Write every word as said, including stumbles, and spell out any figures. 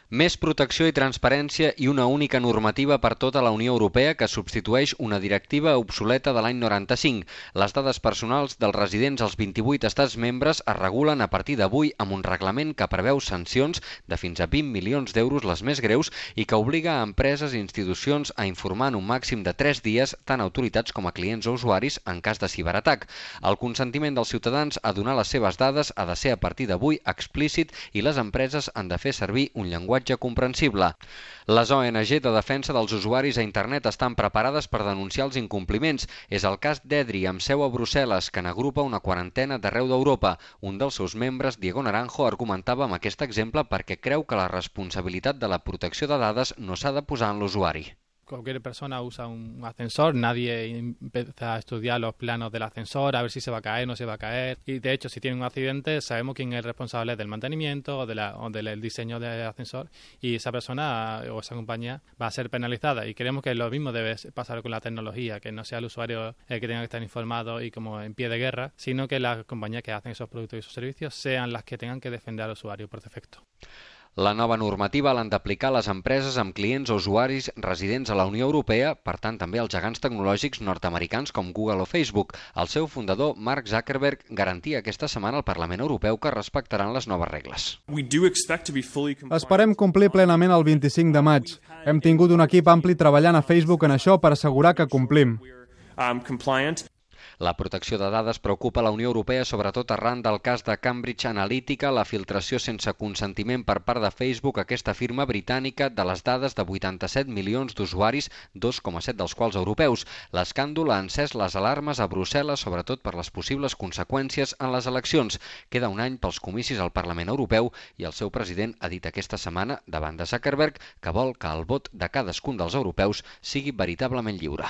Més protecció i transparència i una única normativa per tota la Unió Europea que substitueix una directiva obsoleta de l'any noranta-cinc. Les dades personals dels residents als vint-i-vuit estats membres es regulen a partir d'avui amb un reglament que preveu sancions de fins a vint milions d'euros les més greus i que obliga a empreses i institucions a informar en un màxim de tres dies tant a autoritats com a clients o usuaris en cas de ciberatac. El consentiment dels ciutadans a donar les seves dades ha de ser a partir d'avui explícit i les empreses han de fer servir un llenguatge comprensible. Les O N G de defensa dels usuaris a internet estan preparades per denunciar els incompliments. És el cas d'Edri, amb seu a Brussel·les, que n'agrupa una quarantena d'arreu d'Europa. Un dels seus membres, Diego Naranjo, argumentava amb aquest exemple perquè creu que la responsabilitat de la protecció de dades no s'ha de posar en l'usuari. Cualquier persona usa un ascensor, nadie empieza a estudiar los planos del ascensor, a ver si se va a caer, no se va a caer. Y de hecho, si tiene un accidente, sabemos quién es el responsable del mantenimiento o, de la, o del diseño del ascensor, y esa persona o esa compañía va a ser penalizada. Y creemos que lo mismo debe pasar con la tecnología, que no sea el usuario el que tenga que estar informado y como en pie de guerra, sino que las compañías que hacen esos productos y esos servicios sean las que tengan que defender al usuario por defecto. La nova normativa l'han d'aplicar les empreses amb clients o usuaris residents a la Unió Europea, per tant també els gegants tecnològics nord-americans com Google o Facebook. El seu fundador, Mark Zuckerberg, garantia aquesta setmana al Parlament Europeu que respectaran les noves regles. Esperem complir plenament el vint-i-cinc de maig. Hem tingut un equip ampli treballant a Facebook en això per assegurar que complim. La protecció de dades preocupa la Unió Europea sobretot arran del cas de Cambridge Analytica, la filtració sense consentiment per part de Facebook, aquesta firma britànica, de les dades de vuitanta-set milions d'usuaris, dos coma set dels quals europeus. L'escàndol ha encès les alarmes a Brussel·les, sobretot per les possibles conseqüències en les eleccions. Queda un any pels comicis al Parlament Europeu i el seu president ha dit aquesta setmana, davant de Zuckerberg, que vol que el vot de cadascun dels europeus sigui veritablement lliure.